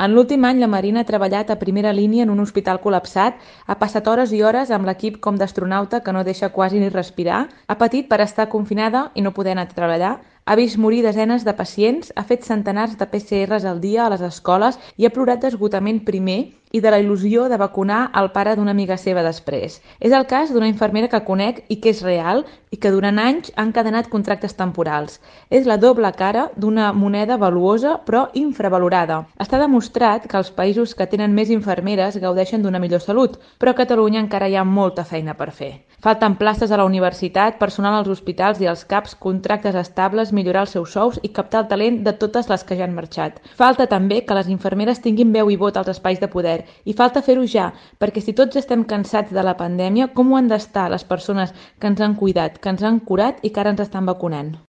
En l'últim any, la Marina ha treballat a primera línia en un hospital col·lapsat, ha passat hores i hores amb l'equip com d'astronauta que no deixa quasi ni respirar, ha patit per estar confinada i no poder anar a treballar, ha vist morir desenes de pacients, ha fet centenars de PCRs al dia a les escoles i ha plorat d'esgotament primer i de la il·lusió de vacunar el pare d'una amiga seva després. És el cas d'una infermera que conec i que és real i que durant anys ha encadenat contractes temporals. És la doble cara d'una moneda valuosa però infravalorada. Està demostrat que els països que tenen més infermeres gaudeixen d'una millor salut, però a Catalunya encara hi ha molta feina per fer. Falten places a la universitat, personal als hospitals i als CAPs, contractes estables, millorar els seus sous i captar el talent de totes les que ja han marxat. Falta també que les infermeres tinguin veu i vot als espais de poder i falta fer-ho ja, perquè si tots estem cansats de la pandèmia, com ho han d'estar les persones que ens han cuidat, que ens han curat i que ara ens estan vacunant?